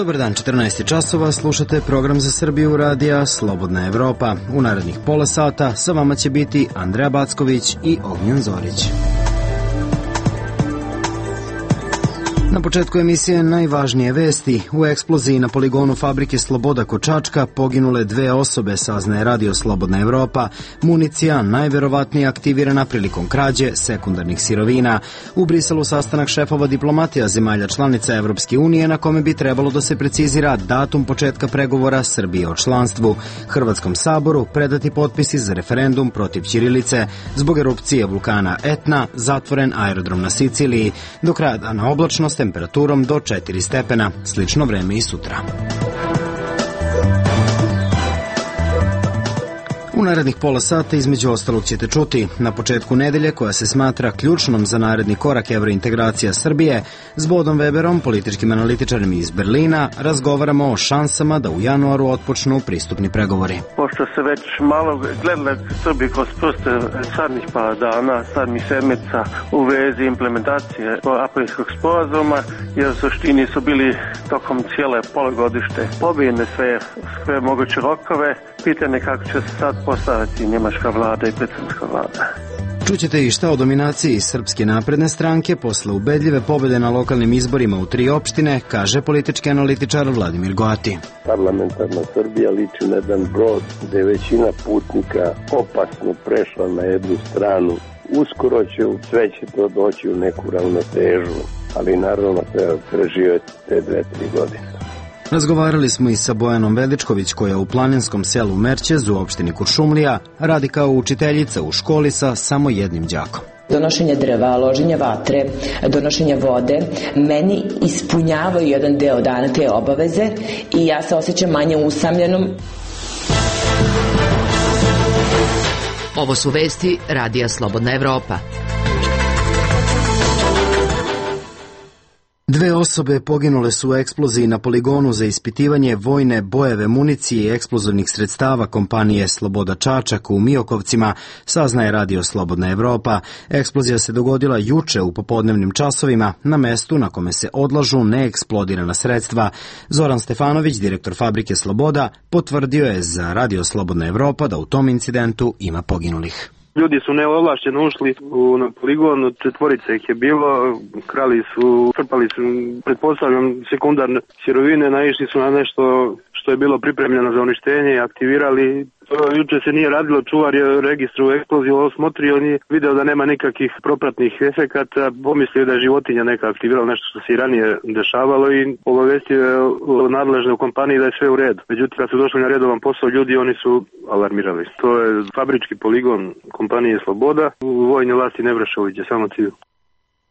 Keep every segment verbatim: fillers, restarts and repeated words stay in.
Dobar dan, četrnaest časova, slušate program za Srbiju radija Slobodna Evropa. U narednih pola sata sa vama će biti Andreja Backović i Ognjen Zorić. Na početku emisije najvažnije vesti. U eksploziji na poligonu fabrike Sloboda kod Čačka poginule dve osobe, saznaje radio Slobodna Evropa. Municija najverovatnije aktivirana prilikom krađe sekundarnih sirovina. U Briselu sastanak šefova diplomatija zemalja članica Evropske unije na kome bi trebalo da se precizira datum početka pregovora Srbije o članstvu. Hrvatskom saboru predati potpisi za referendum protiv ćirilice. Zbog erupcije vulkana Etna zatvoren aerodrom na Siciliji. Do kraja dana oblačno s temperaturom do četiri stepena. Slično vreme i sutra. U narednih pola sata između ostalog ćete čuti: na početku nedelje, koja se smatra ključnom za naredni korak evrointegracija Srbije, s Bodom Weberom, političkim analitičarem iz Berlina, razgovaramo o šansama da u januaru otpočnu pristupni pregovori. Pošto se već malo gledala Srbije kroz prste sadnih par dana, sadnih sedmica u vezi implementacije Aprilskog sporazuma, jer u suštini su bili tokom cijele polugodište pobijene sve, sve moguće rokove, pitanje kako će se sad postaviti njemačka vlada i predsjednička vlada. Čućete i šta o dominaciji Srpske napredne stranke posle ubedljive pobjede na lokalnim izborima u tri opštine, kaže politički analitičar Vladimir Goati. Parlamentarna Srbija liči na jedan brod gde je većina putnika opasno prešla na jednu stranu. Uskoro će u sve će to doći u neku ravnotežu, ali naravno treba preživjeti te dve, tri godine. Razgovarali smo i sa Bojanom Veličković, koja u planinskom selu Merćez u opštini Kuršumlija radi kao učiteljica u školi sa samo jednim đakom. Donošenje drva, loženje vatre, donošenje vode, meni ispunjavaju jedan deo dana te obaveze i ja se osjećam manje usamljenom. Ovo su vesti radija Slobodna Evropa. Dve osobe poginule su u eksploziji na poligonu za ispitivanje vojne bojeve municije i eksplozivnih sredstava kompanije Sloboda Čačak u Miokovcima, saznaje radio Slobodna Evropa. Eksplozija se dogodila juče u popodnevnim časovima na mestu na kome se odlažu neeksplodirana sredstva. Zoran Stefanović, direktor fabrike Sloboda, potvrdio je za radio Slobodna Evropa da u tom incidentu ima poginulih. Ljudi su neovlašćeno ušli u, na poligon, četvorica ih je bilo, krali su, crpali su, pretpostavljam, sekundarne sirovine, naišli su na nešto što je bilo pripremljeno za uništenje i aktivirali. Juče se nije radilo, čuvar je registru eksploziju osmotrio, on je video da nema nikakvih propratnih efekata, pomislio da je životinja neka aktivirala nešto što se i ranije dešavalo i obavestio je nadležne u kompaniji da je sve u redu. Međutim, kad su došli na redovan posao ljudi, oni su alarmirali. To je fabrički poligon kompanije Sloboda, vojne vlasti ne vrše uviđe, samo cilj.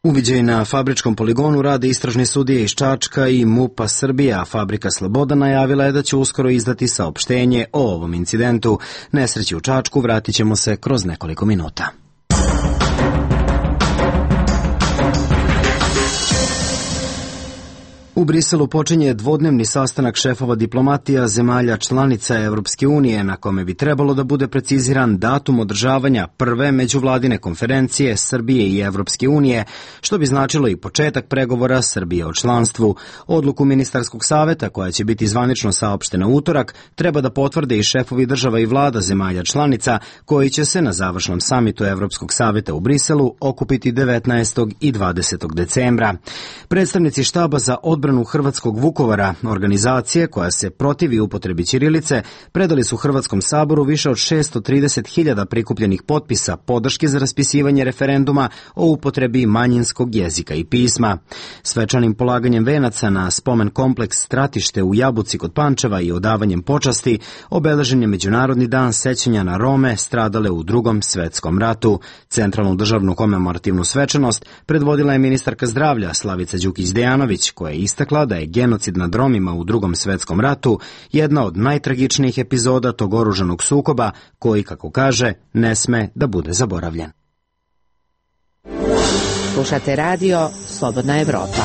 Uviđaj na fabričkom poligonu rade istražni sudije iz Čačka i MUP-a Srbije, a fabrika Sloboda najavila je da će uskoro izdati saopštenje o ovom incidentu. Nesreći u Čačku vratit ćemo se kroz nekoliko minuta. U Briselu počinje dvodnevni sastanak šefova diplomatija zemalja članica Evropske unije, na kome bi trebalo da bude preciziran datum održavanja prve međuvladine konferencije Srbije i Evropske unije, što bi značilo i početak pregovora Srbije o članstvu. Odluku ministarskog saveta, koja će biti zvanično saopštena utorak, treba da potvrde i šefovi država i vlada zemalja članica, koji će se na završnom samitu Evropskog saveta u Briselu okupiti devetnaestog i dvadesetog decembra. Predstavnici štaba za odbranu Hrvatskog Vukovara, organizacije koja se protivi upotrebi ćirilice, predali su Hrvatskom saboru više od šesto trideset hiljada prikupljenih potpisa podrške za raspisivanje referenduma o upotrebi manjinskog jezika i pisma. Svečanim polaganjem venaca na spomen kompleks Stratište u Jabuci kod Pančeva i odavanjem počasti obeležen je Međunarodni dan sećanja na Rome stradale u Drugom svetskom ratu. Centralnu državnu komemorativnu svečanost predvodila je ministarka zdravlja Slavica Đukić-Dejanović, koja je istakla da je genocid nad Romima u Drugom svetskom ratu jedna od najtragičnijih epizoda tog oružanog sukoba koji, kako kaže, ne sme da bude zaboravljen. Slušate radio Slobodna Evropa.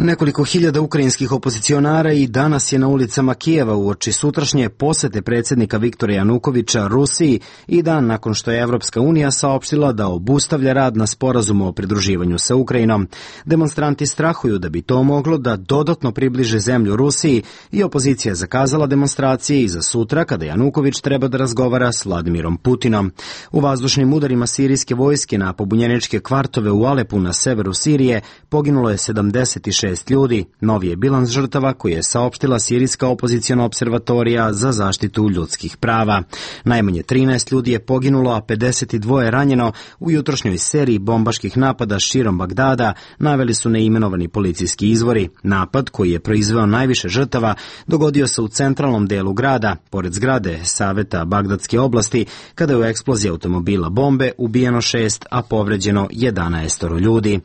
Nekoliko hiljada ukrajinskih opozicionara i danas je na ulicama Kijeva uoči sutrašnje posete predsjednika Viktora Janukovića Rusiji i dan nakon što je Evropska unija saopštila da obustavlja rad na sporazumu o pridruživanju sa Ukrajinom. Demonstranti strahuju da bi to moglo da dodatno približe zemlju Rusiji i opozicija je zakazala demonstracije i za sutra kada Januković treba da razgovara s Vladimirom Putinom. U vazdušnim udarima sirijske vojske na pobunjeničke kvartove u Alepu na severu Sirije poginulo je sedamdeset šest ljudi. Novi je bilans žrtava koji je saopštila Sirijska opoziciona observatorija za zaštitu ljudskih prava. Najmanje trinaest ljudi je poginulo, a pedeset dva ranjeno u jutrošnjoj seriji bombaških napada širom Bagdada, naveli su neimenovani policijski izvori. Napad, koji je proizveo najviše žrtava, dogodio se u centralnom delu grada, pored zgrade Saveta Bagdadske oblasti, kada je u eksploziji automobila bombe ubijeno šest, a povređeno jedanaest ljudi.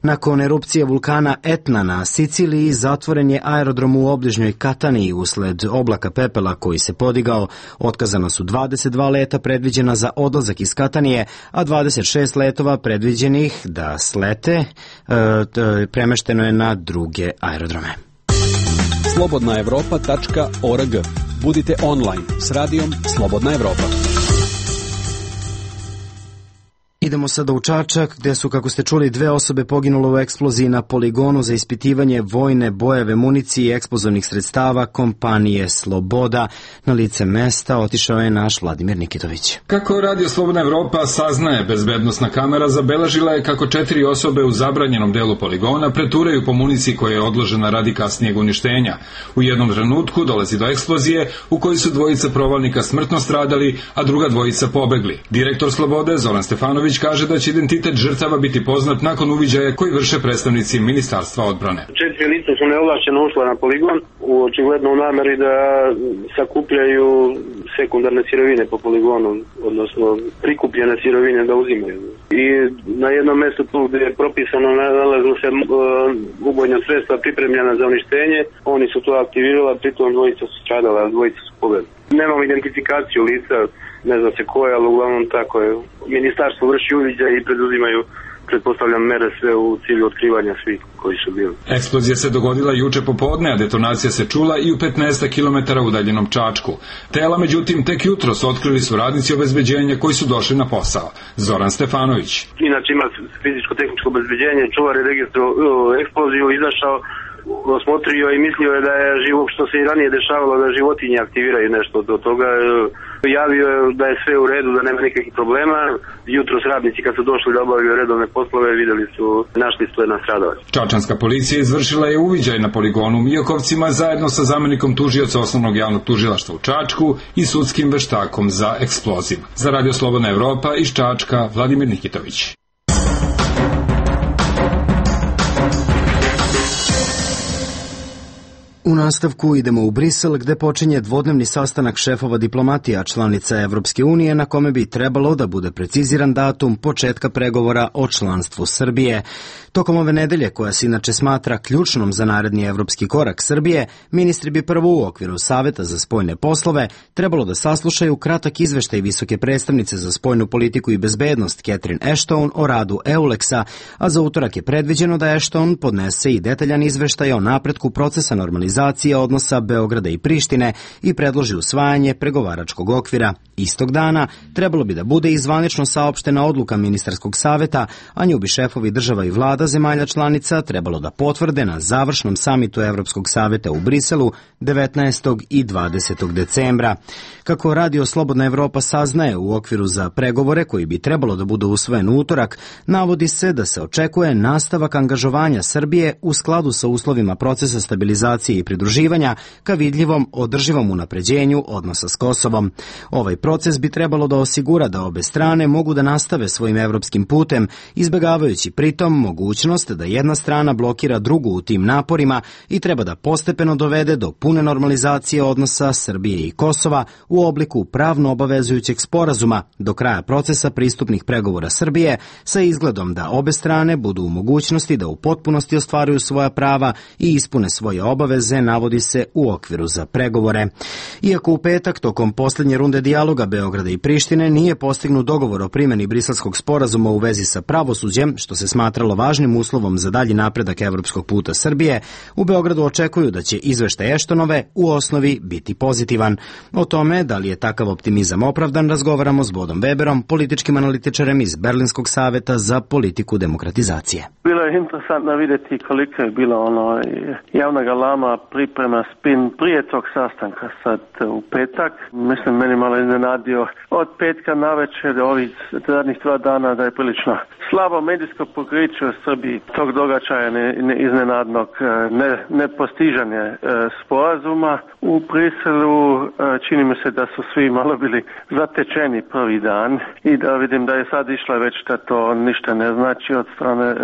Nakon erupcije vulkana Etna na Siciliji zatvoren je aerodrom u obližnjoj Kataniji usled oblaka pepela koji se podigao. Otkazano su dvadeset dva leta predviđena za odlazak iz Katanije, a dvadeset šest letova predviđenih da slete e, premešteno je na druge aerodrome. slobodna evropa tačka org. Budite online s radijom Slobodna Evropa. Idemo sada u Čačak, gde su, kako ste čuli, dve osobe poginule u eksploziji na poligonu za ispitivanje vojne bojeve, municije i eksplozivnih sredstava kompanije Sloboda. Na lice mesta otišao je naš Vladimir Nikitović. Kako Radio Slobodna Evropa saznaje, bezbednosna kamera zabeležila je kako četiri osobe u zabranjenom delu poligona preturaju po municiji koja je odložena radi kasnijeg uništenja. U jednom trenutku dolazi do eksplozije u kojoj su dvojica provalnika smrtno stradali, a druga dvojica pobegli. Direktor Slobode, Zoran Stefanović, kaže da će identitet žrtava biti poznat nakon uviđaja koji vrše predstavnici Ministarstva odbrane. Četiri lica su neovlašćeno ušla na poligon u očigledno u nameri da sakupljaju sekundarne sirovine po poligonu, odnosno prikupljene sirovine da uzimaju. I na jednom mjestu tu gdje je propisano nalazilo se uh, ubojna sredstva pripremljena za uništenje, oni su to aktivirali, pritom dvojica su stradala, dvojica su pobegli. Nemamo identifikaciju lica, ne zna se ko je, ali uglavnom tako je. Ministarstvo vrši uviđaj i preduzimaju, pretpostavljam, mere sve u cilju otkrivanja svih koji su bili. Eksplozija se dogodila juče popodne, a detonacija se čula i u petnaest kilometara udaljenom Čačku. Tela, međutim, tek jutros otkrili su radnici obezbeđenja koji su došli na posao. Zoran Stefanović. Inače ima fizičko-tehničko obezbeđenje, čuvar je registro eksploziju, izašao, osmotrio i mislio je da je živo, što se i ranije dešavalo, da životinje aktiviraju nešto do toga. Javio je da je sve u redu, da nema nikakvih problema. Jutros radnici kad su došli da obavljaju redovne poslove, videli su, našli su jedna stradalac. Čačanska policija izvršila je uviđaj na poligonu u Mijokovcima zajedno sa zamenikom tužioca Osnovnog javnog tužilaštva u Čačku i sudskim veštakom za eksploziv. Za Radio Slobodna Evropa iz Čačka, Vladimir Nikitović. U nastavku idemo u Brisel, gde počinje dvodnevni sastanak šefova diplomatija članica Evropske unije, na kome bi trebalo da bude preciziran datum početka pregovora o članstvu Srbije. Tokom ove nedelje, koja se inače smatra ključnom za naredni evropski korak Srbije, ministri bi prvo u okviru Saveta za spoljne poslove trebalo da saslušaju kratak izveštaj visoke predstavnice za spoljnu politiku i bezbednost Catherine Ashton o radu EULEX-a, a za utorak je predviđeno da Ashton podnese i detaljan izveštaj o napretku procesa normalizacije odnosa Beograda i Prištine i predloži usvajanje pregovaračkog okvira. Istog dana trebalo bi da bude i zvanično saopštena odluka ministarskog saveta, a nju bi šefovi država i vlada zemalja članica trebalo da potvrde na završnom samitu Evropskog saveta u Briselu devetnaestog i dvadesetog decembra. Kako Radio Slobodna Evropa saznaje, u okviru za pregovore koji bi trebalo da budu usvojen u utorak, navodi se da se očekuje nastavak angažovanja Srbije u skladu sa uslovima procesa stabilizacije i pridruživanja ka vidljivom održivom unapređenju odnosa s Kosovom. Ovaj proces bi trebalo da osigura da obe strane mogu da nastave svojim evropskim putem, izbegavajući pritom mogućnost da jedna strana blokira drugu u tim naporima i treba da postepeno dovede do pune normalizacije odnosa Srbije i Kosova u obliku pravno obavezujućeg sporazuma do kraja procesa pristupnih pregovora Srbije, sa izgledom da obe strane budu u mogućnosti da u potpunosti ostvaruju svoja prava i ispune svoje obaveze obaveze, navodi se, u okviru za pregovore. Iako u petak, tokom poslednje runde dijaloga Beograda i Prištine, nije postignut dogovor o primjeni Briselskog sporazuma u vezi sa pravosuđem, što se smatralo važnim uslovom za dalji napredak evropskog puta Srbije, u Beogradu očekuju da će izveštaj Eštonove u osnovi biti pozitivan. O tome, da li je takav optimizam opravdan, razgovaramo s Bodom Weberom, političkim analitičarem iz Berlinskog saveta za politiku demokratizacije. Bilo je interesantno vidjeti koliko je bilo ono javna galama, priprema, spin prije tog sastanka sad u petak. Mislim, meni malo iznenadio od petka na večer do ovih zadnjih dva dana da je prilično slabo medijsko pokriće u Srbiji tog događaja ne, ne iznenadnog ne, nepostižanje e, sporazuma u Briselu. E, čini mi se da su svi malo bili zatečeni prvi dan i da vidim da je sad išla već da to ništa ne znači od strane e,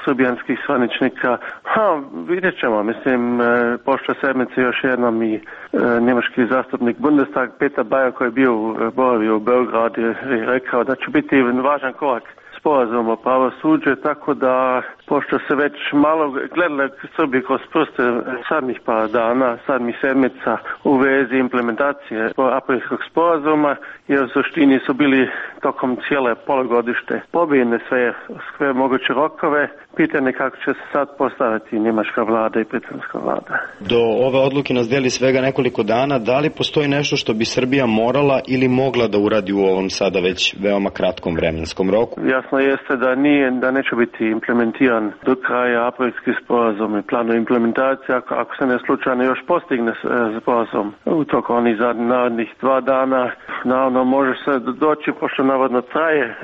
srbijanskih zvaničnika. Ha, vidjet ćemo. Mislim, e, pošle sedmice još jednom i e, njemački zastupnik Bundestag Peter Bayer koji je bio boravio u Beogradu je rekao da će biti važan korak sporazum o pravosuđe, tako da pošto se već malo gledali Srbi kroz prste sadnih par dana, sadnih sedmica u vezi implementacije aprilskog sporazuma, jer u suštini su bili tokom cijele polugodište pobijene sve, sve moguće rokove, pitanje kako će se sad postaviti njemačka vlada i britanska vlada. Do ove odluke nas deli svega nekoliko dana. Da li postoji nešto što bi Srbija morala ili mogla da uradi u ovom sada već veoma kratkom vremenskom roku? Jasno jeste da nije, da neće biti implementiran do kraja aprilski sporazum i planu implementacije ako, ako se ne slučajno još postigne sporazum u toku onih narednih dva dana. Naravno može se doći, pošto navodno traje e,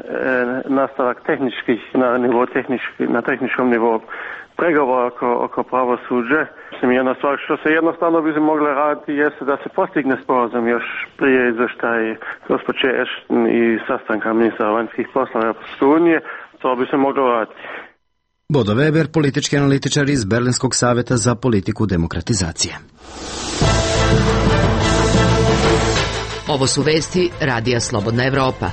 nastavak tehničkih na nivo tehnički, na tehničkom nivou pregovora oko, oko pravosuđe. Mislim, jedna stvar što se jednostavno bi se mogla raditi jeste da se postigne sporazum još prije izveštaj gospođe Ashton i sastanka ministra vanjskih poslova Europske unije. To bi se moglo raditi. Bodo Weber, politički analitičar iz Berlinskog saveta za politiku demokratizacije. Ovo su vesti Radija Slobodna Evropa.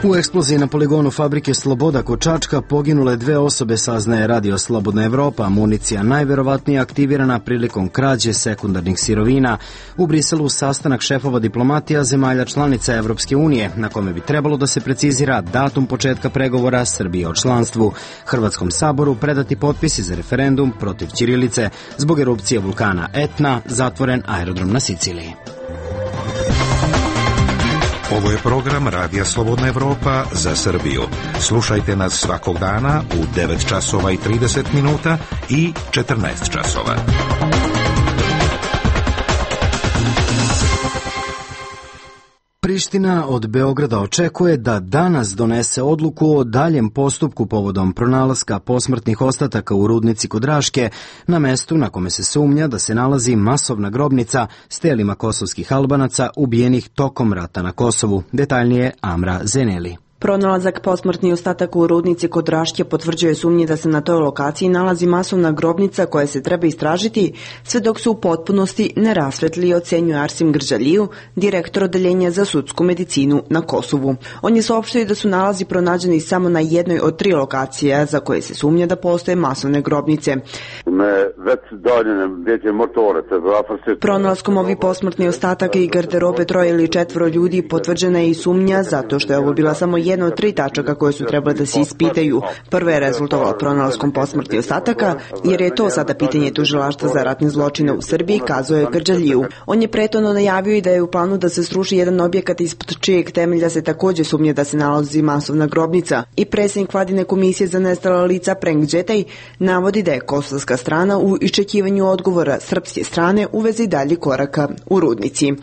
U eksploziji na poligonu fabrike Sloboda kod Čačka poginule dve osobe, saznaje Radio Slobodna Evropa. Municija najverovatnije aktivirana prilikom krađe sekundarnih sirovina. U Briselu sastanak šefova diplomatija zemalja članica Evropske unije, na kome bi trebalo da se precizira datum početka pregovora Srbije o članstvu. Hrvatskom saboru predati potpisi za referendum protiv ćirilice zbog erupcije vulkana Etna, zatvoren aerodrom na Siciliji. Ovo je program Radija Slobodna Evropa za Srbiju. Slušajte nas svakog dana u devet časova i trideset minuta i četrnaest časova. Priština od Beograda očekuje da danas donese odluku o daljem postupku povodom pronalaska posmrtnih ostataka u rudnici kod Raške, na mestu na kome se sumnja da se nalazi masovna grobnica s telima kosovskih Albanaca ubijenih tokom rata na Kosovu. Detaljnije Amra Zeneli. Pronalazak posmrtnih ostataka u rudnici kod Raške potvrđuje sumnje da se na toj lokaciji nalazi masovna grobnica koja se treba istražiti, sve dok se u potpunosti ne rasvetli, ocenjuje Arsim Grđaliju, direktor odeljenja za sudsku medicinu na Kosovu. On je saopštio da su nalazi pronađeni samo na jednoj od tri lokacija za koje se sumnja da postoje masovne grobnice. Pronalaskom ovih posmrtnih ostataka i garderobe troje ili četvoro ljudi potvrđena je i sumnja zato što je ovo bila samo jedna od tri tačaka koje su trebale da se ispitaju. Prva je rezultovala pronalaskom posmrtnih ostataka, jer je to sada pitanje tužilaštva za ratne zločine u Srbiji, kazao je Grđaliju. On je prethodno najavio i da je u planu da se sruši jedan objekat ispod čijeg temelja se takođe sumnje da se nalazi masovna grobnica. I predsjednik vladine komisije za nestala lica Prenk Đetaj navodi da je kosovska strana u iščekivanju odgovora srpske strane u vezi dalje koraka u rudnici.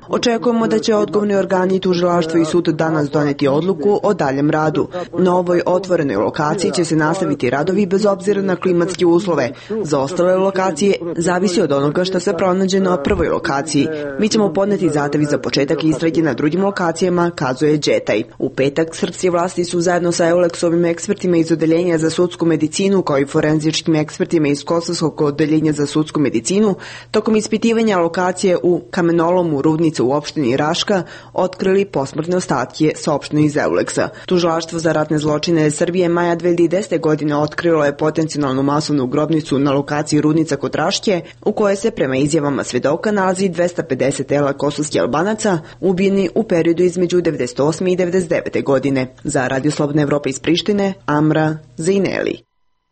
Očekujemo da će odgovorni organi tužilaštvo i sud danas doneti odluku o daljem radu. Na ovoj otvorenoj lokaciji će se nastaviti radovi bez obzira na klimatske uslove. Za ostale lokacije zavisi od onoga što se pronađe na prvoj lokaciji. Mi ćemo podneti zahtev za početak istrage na drugim lokacijama, kazuje Đetaj. U petak srpske vlasti su zajedno sa Eulexovim ekspertima iz odeljenja za sudsku medicinu kao i forenzičkim ekspertima iz Kosovskog odeljenja za sudsku medicinu tokom ispitivanja lokacije u kamenolomu rudnice u opštini Raška otkrili otkrili posmrtne ostatke, saopšteno iz Euleksa. Tužilaštvo za ratne zločine Srbije maja dve hiljade desete. godine otkrilo je potencijalnu masovnu grobnicu na lokaciji Rudnica kod Raške, u kojoj se prema izjavama svedoka nalazi dvesta pedeset tela kosovskih Albanaca ubijeni u periodu između devedeset osme i devedeset devete. godine. Za Radio Slobodna Evropa iz Prištine, Amra Zejneli.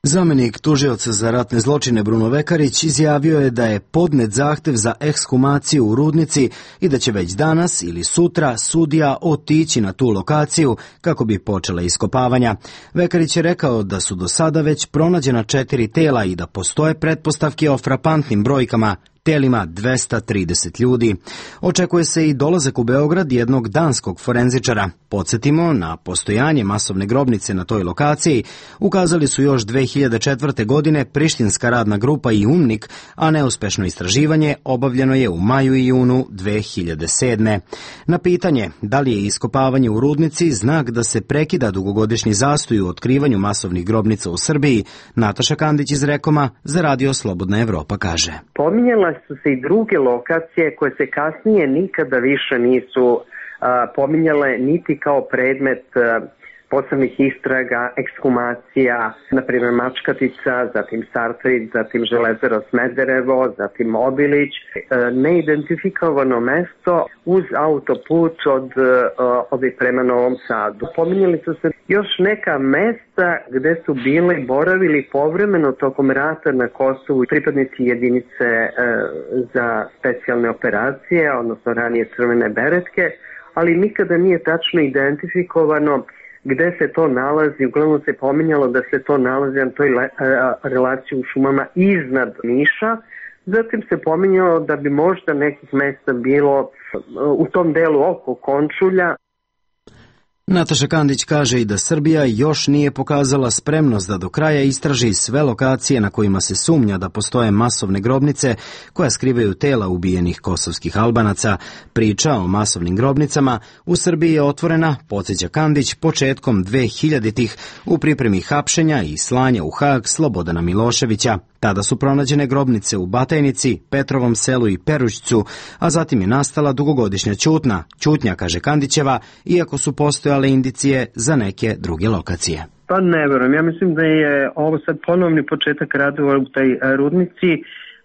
Zamenik tužioca za ratne zločine Bruno Vekarić izjavio je da je podnet zahtev za ekshumaciju u Rudnici i da će već danas ili sutra sudija otići na tu lokaciju kako bi počela iskopavanja. Vekarić je rekao da su do sada već pronađena četiri tela i da postoje pretpostavke o frapantnim brojkama, telima dvesta trideset ljudi. Očekuje se i dolazak u Beograd jednog danskog forenzičara. Podsjetimo, na postojanje masovne grobnice na toj lokaciji ukazali su još dve hiljade četvrte. godine prištinska radna grupa i UNMIK, a neuspešno istraživanje obavljeno je u maju i junu dve hiljade sedme. Na pitanje da li je iskopavanje u Rudnici znak da se prekida dugogodišnji zastoj u otkrivanju masovnih grobnica u Srbiji, Nataša Kandić iz Rekoma za Radio Slobodna Evropa kaže: Pominjala su se i druge lokacije koje se kasnije nikada više nisu a, pominjale niti kao predmet a, posebnih istraga, ekshumacija, na primjer Mačkatica, zatim Sartrid, zatim Železaro Smederevo, zatim Obilić, a, neidentifikovano mesto uz autoput od ovih prema Novom Sadu. Pominjali su se još neka mesta gde su bili boravili povremeno tokom rata na Kosovu pripadnici jedinice e, za specijalne operacije, odnosno ranije Crvene beretke, ali nikada nije tačno identifikovano gde se to nalazi. Uglavnom se pominjalo da se to nalazi na toj le, a, relaciji u šumama iznad Niša. Zatim se pominjalo da bi možda nekih mesta bilo u tom delu oko Končulja. Nataša Kandić kaže i da Srbija još nije pokazala spremnost da do kraja istraži sve lokacije na kojima se sumnja da postoje masovne grobnice koja skrivaju tela ubijenih kosovskih Albanaca. Priča o masovnim grobnicama u Srbiji je otvorena, podsjeća Kandić, početkom dve hiljaditih u pripremi hapšenja i slanja u Hag Slobodana Miloševića. Tada su pronađene grobnice u Batajnici, Petrovom selu i Perušćcu, a zatim je nastala dugogodišnja ćutnja. Ćutnja, kaže Kandićeva, iako su postojale indicije za neke druge lokacije. Pa ne verujem, ja mislim da je ovo sad ponovni početak radova u taj Rudnici,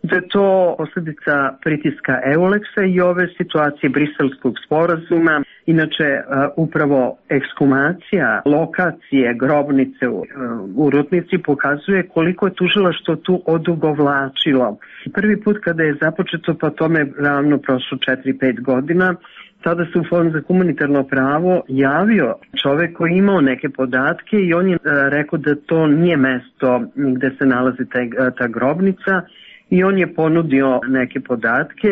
da je to posljedica pritiska Euleksa i ove situacije Briselskog sporazuma. Inače, upravo ekshumacija lokacije grobnice u Rudnici pokazuje koliko je tužilaštvo tu odugovlačilo. Prvi put kada je započeto, pa tome ravno prošlo četiri pet godina, tada se u Fond za humanitarno pravo javio čovek koji je imao neke podatke i on je rekao da to nije mesto gde se nalazi ta, ta grobnica i on je ponudio neke podatke.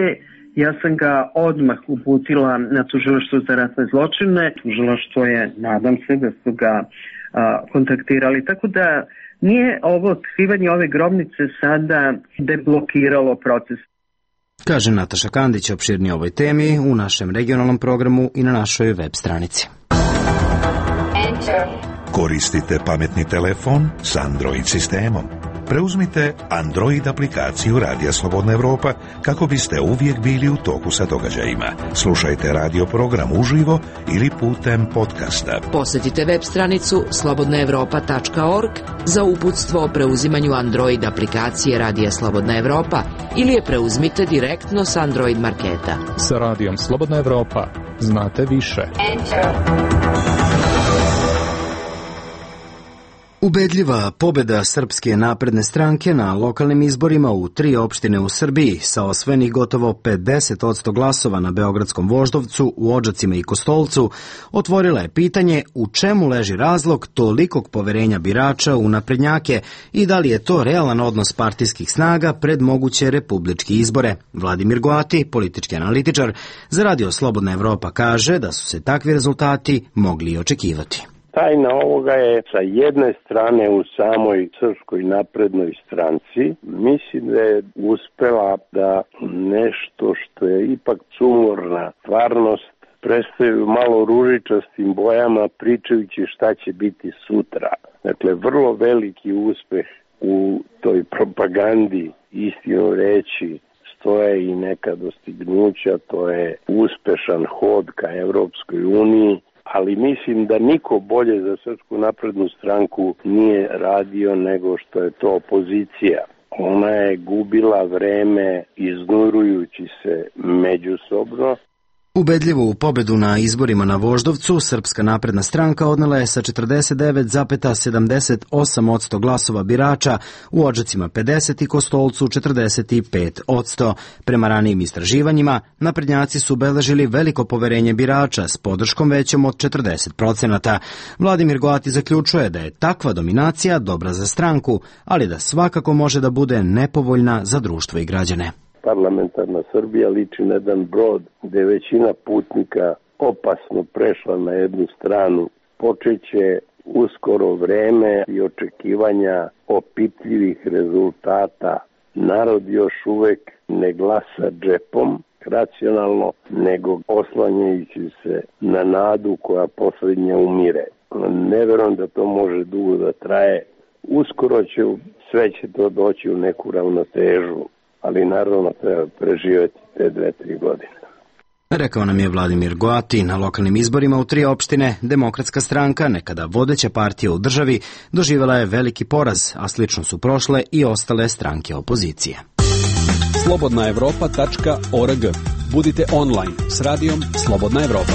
Ja sam ga odmah uputila na tužilaštvo za ratne zločine. Tužilaštvo je, nadam se da su ga a, kontaktirali, tako da nije ovo otkrivanje ove grobnice sada deblokiralo proces. Kaže Nataša Kandić, opširnije ovoj temi u našem regionalnom programu i na našoj web stranici. Koristite pametni telefon s Android sistemom. Preuzmite Android aplikaciju Radija Slobodna Evropa kako biste uvijek bili u toku sa događajima. Slušajte radio program uživo ili putem podcasta. Posjetite web stranicu slobodna evropa tačka org za uputstvo o preuzimanju Android aplikacije Radija Slobodna Evropa ili je preuzmite direktno s Android marketa. Sa Radijom Slobodna Evropa znate više. Ubedljiva pobjeda Srpske napredne stranke na lokalnim izborima u tri opštine u Srbiji sa osvojenih gotovo pedeset posto glasova na Beogradskom Voždovcu, u Odžacima i Kostolcu otvorila je pitanje u čemu leži razlog tolikog poverenja birača u naprednjake i da li je to realan odnos partijskih snaga pred moguće republičke izbore. Vladimir Goati, politički analitičar za Radio Slobodna Evropa, kaže da su se takvi rezultati mogli i očekivati. Tajna ovoga je sa jedne strane u samoj Srpskoj naprednoj stranci. Mislim da je uspela da nešto što je ipak sumorna stvarnost predstavljaju malo ružičastim bojama pričajući šta će biti sutra. Dakle, vrlo veliki uspeh u toj propagandi, istino reći, postoje i neka dostignuća, to je uspešan hod ka Evropskoj uniji, ali mislim da niko bolje za Srpsku naprednu stranku nije radio nego što je to opozicija. Ona je gubila vreme iznurujući se međusobno. Ubedljivu pobedu na izborima na Voždovcu Srpska napredna stranka odnela je sa četrdeset devet zarez sedamdeset osam posto glasova birača, u Odžacima pedeset i Kostolcu četrdeset pet posto. Prema ranijim istraživanjima, naprednjaci su beležili veliko poverenje birača s podrškom većom od četrdeset procenata. Vladimir Goati zaključuje da je takva dominacija dobra za stranku, ali da svakako može da bude nepovoljna za društvo i građane. Parlamentarna Srbija liči na jedan brod gde je većina putnika opasno prešla na jednu stranu. Počeće uskoro vreme i očekivanja opipljivih rezultata. Narod još uvek ne glasa džepom racionalno, nego oslanjajući se na nadu koja poslednja umire. Ne verujem da to može dugo da traje. Uskoro će sve će to doći u neku ravnotežu, ali naravno treba preživjeti te dve, tri godine. Rekao nam je Vladimir Goati. Na lokalnim izborima u tri opštine Demokratska stranka, nekada vodeća partija u državi, doživjela je veliki poraz, a slično su prošle i ostale stranke opozicije. slobodna evropa tačka org. Budite online s radijom Slobodna Evropa.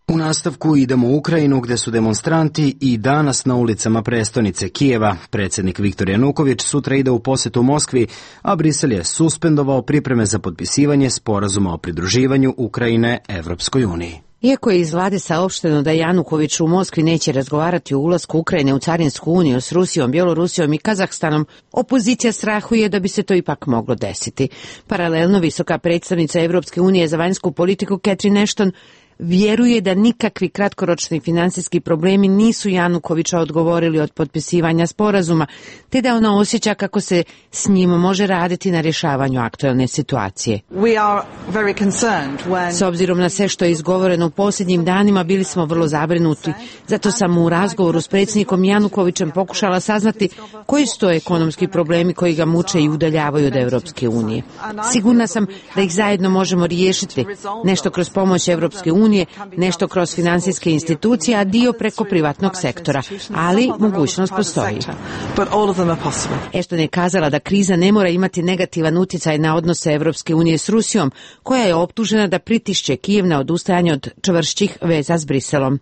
U nastavku idemo u Ukrajinu, gde su demonstranti i danas na ulicama prestonice Kijeva. Predsjednik Viktor Januković sutra ide u posetu Moskvi, a Brisel je suspendovao pripreme za potpisivanje sporazuma o pridruživanju Ukrajine Evropskoj uniji. Iako je iz vlade saopšteno da Januković u Moskvi neće razgovarati o ulasku Ukrajine u Carinsku uniju s Rusijom, Bjelorusijom i Kazahstanom, opozicija strahuje da bi se to ipak moglo desiti. Paralelno, visoka predstavnica Evropske unije za vanjsku politiku Catherine Ashton vjeruje da nikakvi kratkoročni finansijski problemi nisu Janukovića odgovorili od potpisivanja sporazuma, te da ona osjeća kako se s njim može raditi na rješavanju aktualne situacije. S obzirom na sve što je izgovoreno u posljednjim danima, bili smo vrlo zabrinuti. Zato sam u razgovoru s predsjednikom Janukovićem pokušala saznati koji su to ekonomski problemi koji ga muče i udaljavaju od Evropske unije. Sigurna sam da ih zajedno možemo riješiti, nešto kroz pomoć Evropske unije, nešto kroz finansijske institucije, a dio preko privatnog sektora, ali mogućnost postoji. Ashton je kazala da kriza ne mora imati negativan utjecaj na odnose Evropske unije s Rusijom, koja je optužena da pritišće Kijev na odustajanje od čvršćih veza s Briselom.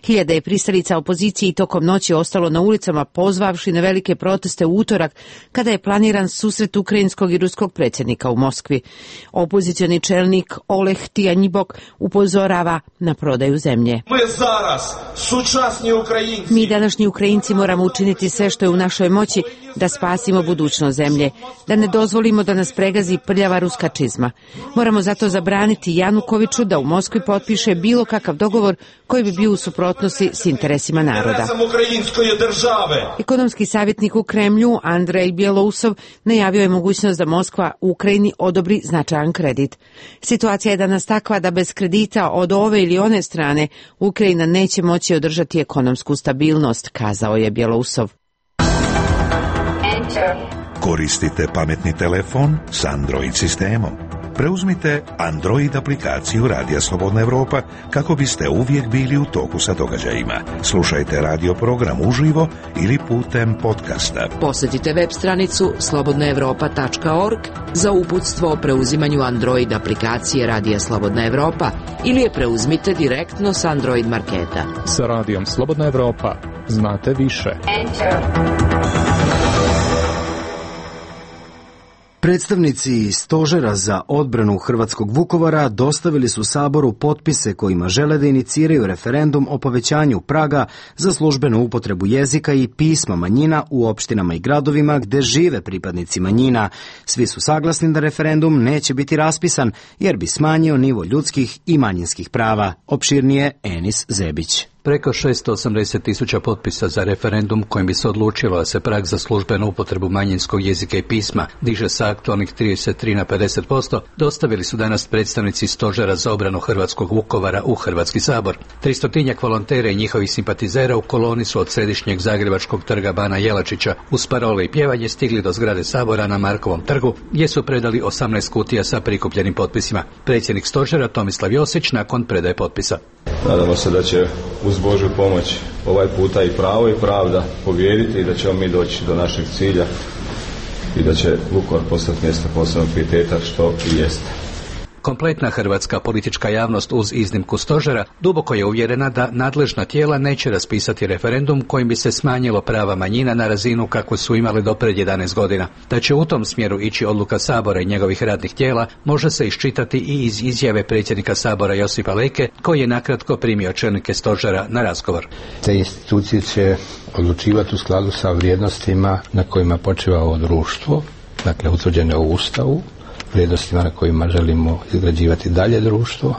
Hiljade je pristalica opozicije i tokom noći ostalo na ulicama, pozvavši na velike proteste u utorak, kada je planiran susret ukrajinskog i ruskog predsjednika u Moskvi. Opozicioni čelnik Oleh Tijanjibok upozorava na prodaju zemlje. Mi današnji Ukrajinci moramo učiniti sve što je u našoj moći da spasimo budućnost zemlje, da ne dozvolimo da nas pregazi prljava ruska čizma. Moramo zato zabraniti Janukoviću da u Moskvi potpiše bilo kakav dogovor koji bi bio u suprotnosti s interesima naroda. Ekonomski savjetnik u Kremlju Andrej Bjelousov najavio je mogućnost da Moskva Ukrajini odobri značajan kredit. Situacija je danas takva da bez kredita od ove ili one strane Ukrajina neće moći održati ekonomsku stabilnost, kazao je Bjelousov. Koristite pametni telefon s Android sistemom. Preuzmite Android aplikaciju Radija Slobodna Evropa kako biste uvijek bili u toku sa događajima. Slušajte radio program uživo ili putem podcasta. Posjetite web stranicu slobodna evropa tačka org za uputstvo o preuzimanju Android aplikacije Radija Slobodna Evropa ili je preuzmite direktno s Android marketa. Sa Radijom Slobodna Evropa znate više. Predstavnici Stožera za odbranu hrvatskog Vukovara dostavili su Saboru potpise kojima žele da iniciraju referendum o povećanju praga za službenu upotrebu jezika i pisma manjina u opštinama i gradovima gde žive pripadnici manjina. Svi su saglasni da referendum neće biti raspisan jer bi smanjio nivo ljudskih i manjinskih prava. Opširnije Enis Zebić. preko šesto osamdeset tisuća potpisa za referendum kojim bi se odlučilo da se prag za službenu upotrebu manjinskog jezika i pisma diže sa aktualnih trideset tri na pedeset posto, dostavili su danas predstavnici Stožera za obranu hrvatskog Vukovara u Hrvatski sabor. Tristotinjak volontera i njihovih simpatizera u koloni su od središnjeg zagrebačkog trga Bana Jelačića uz parole i pjevanje stigli do zgrade sabora na Markovom trgu, gdje su predali osamnaest kutija sa prikupljenim potpisima. Predsjednik Stožera Tomislav Josić nakon predaje potpisa. Nadamo se da će uz Božju pomoć ovaj puta i pravo i pravda pobijediti i da ćemo mi doći do našeg cilja i da će Vukovar postati mjesto posebnog pijeteta, što i jeste. Kompletna hrvatska politička javnost uz iznimku Stožera duboko je uvjerena da nadležna tijela neće raspisati referendum kojim bi se smanjilo prava manjina na razinu kako su imali do pred jedanaest godina. Da će u tom smjeru ići odluka Sabora i njegovih radnih tijela može se iščitati i iz izjave predsjednika Sabora Josipa Leke, koji je nakratko primio čelnike Stožera na razgovor. Te institucije će odlučivati u skladu sa vrijednostima na kojima počiva ovo društvo, dakle utvrđene u Ustavu, vrijednostima na kojima želimo izgrađivati dalje društvo.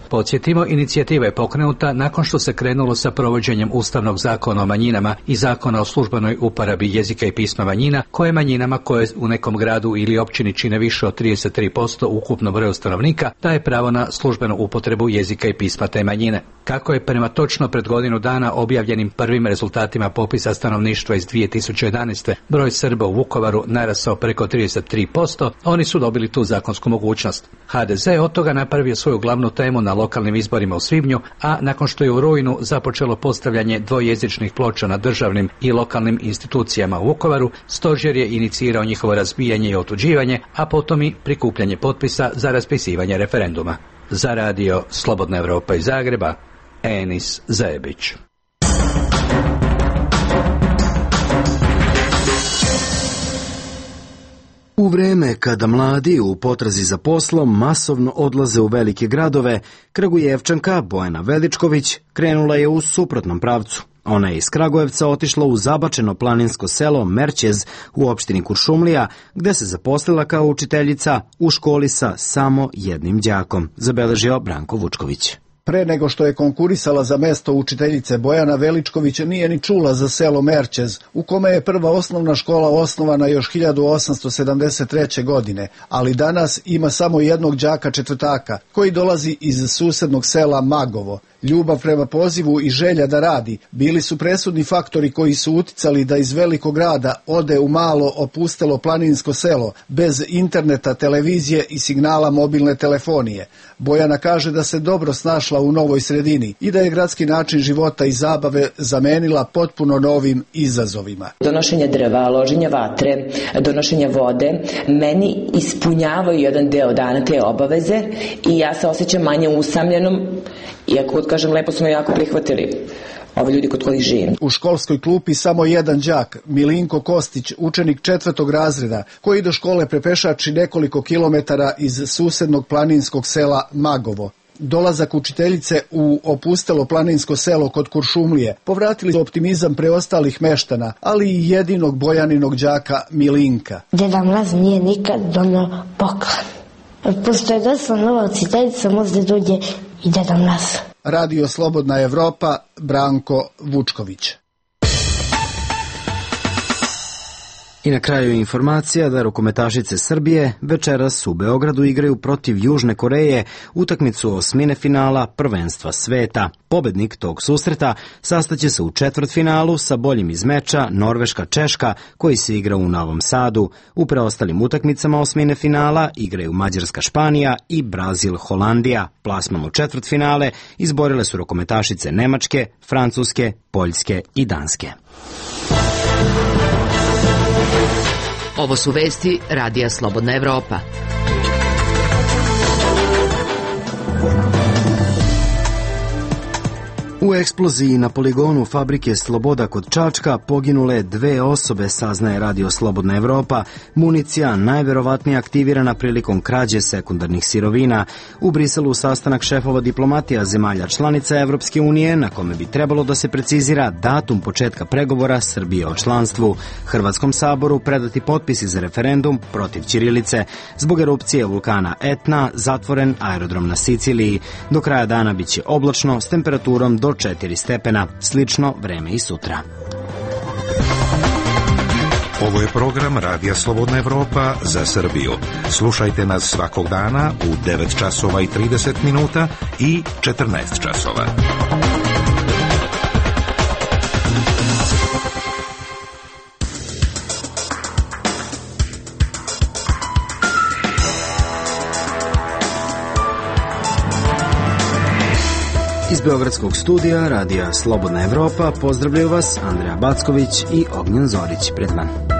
Podsjetimo, inicijativa je pokrenuta nakon što se krenulo sa provođenjem Ustavnog zakona o manjinama i Zakona o službenoj uporabi jezika i pisma manjina, koje manjinama koje u nekom gradu ili općini čine više od trideset tri posto ukupno broju stanovnika daje pravo na službenu upotrebu jezika i pisma te manjine. Kako je prema točno pred godinu dana objavljenim prvim rezultatima popisa stanovništva iz dvije tisuće jedanaeste broj Srba u Vukovaru narasao preko trideset tri posto, oni su dobili tu zakonsku mogućnost. ha de ze od toga napravio svoju glavnu temu na lokalnim izborima u svibnju, a nakon što je u rujnu započelo postavljanje dvojezičnih ploča na državnim i lokalnim institucijama u Vukovaru, Stožer je inicirao njihovo razbijanje i otuđivanje, a potom i prikupljanje potpisa za raspisivanje referenduma. Za radio Slobodna Evropa iz Zagreba, Enis Zajebić. U vreme kada mladi u potrazi za poslom masovno odlaze u velike gradove, Kragujevčanka Bojana Veličković krenula je u suprotnom pravcu. Ona je iz Kragujevca otišla u zabačeno planinsko selo Merčez u opštini Kuršumlija, gde se zaposlila kao učiteljica u školi sa samo jednim đakom, zabeležio Branko Vučković. Pre nego što je konkurisala za mesto učiteljice, Bojana Veličković nije ni čula za selo Merčez, u kome je prva osnovna škola osnovana još hiljadu osamsto sedamdeset treće. godine, ali danas ima samo jednog đaka četvrtaka, koji dolazi iz susednog sela Magovo. Ljubav prema pozivu i želja da radi bili su presudni faktori koji su uticali da iz velikog grada ode u malo opustelo planinsko selo, bez interneta, televizije i signala mobilne telefonije. Bojana kaže da se dobro snašla u novoj sredini i da je gradski način života i zabave zamenila potpuno novim izazovima. Donošenje drva, loženje vatre, donošenje vode, meni ispunjavaju jedan deo dana te obaveze i ja se osjećam manje usamljenom, iako, kod kažem, lepo smo jako prihvatili ovi ljudi kod kojih živim. U školskoj klupi samo jedan đak, Milinko Kostić, učenik četvrtog razreda, koji do škole prepešači nekoliko kilometara iz susednog planinskog sela Magovo. Dolazak učiteljice u opustelo planinsko selo kod Kuršumlije povratili su optimizam preostalih meštana, ali i jedinog Bojaninog đaka Milinka. Deda Mraz nije nikad donio poklon. Pošto je došla nova učiteljica, možda dođe i Deda Mraz. Radio Slobodna Evropa, Branko Vučković. I na kraju informacija da rukometašice Srbije večeras u Beogradu igraju protiv Južne Koreje utakmicu osmine finala prvenstva sveta. Pobednik tog susreta sastaće se u četvrtfinalu sa boljim iz meča Norveška-Češka koji se igra u Novom Sadu. U preostalim utakmicama osmine finala igraju Mađarska-Španija i Brazil-Holandija. Plasman u četvrtfinale izborile su rukometašice Nemačke, Francuske, Poljske i Danske. Ovo su vesti Radija Slobodna Evropa. U eksploziji na poligonu fabrike Sloboda kod Čačka poginule dve osobe, saznaje Radio Slobodna Evropa. Municija najverovatnije aktivirana prilikom krađe sekundarnih sirovina. U Briselu sastanak šefova diplomatija zemalja članica Evropske unije, na kome bi trebalo da se precizira datum početka pregovora Srbije o članstvu. Hrvatskom saboru predati potpisi za referendum protiv ćirilice. Zbog erupcije vulkana Etna zatvoren aerodrom na Siciliji. Do kraja dana biće oblačno s temperaturom do do četiri stepena. Slično vreme i sutra. Ovo je program Radija Slobodna Evropa za Srbiju. Slušajte nas svakog dana u devet časova i trideset minuta i četrnaest časova. Iz Beogradskog studija Radija Slobodna Evropa pozdravljaju vas Andreja Backović i Ognjen Zorić. Pred vama.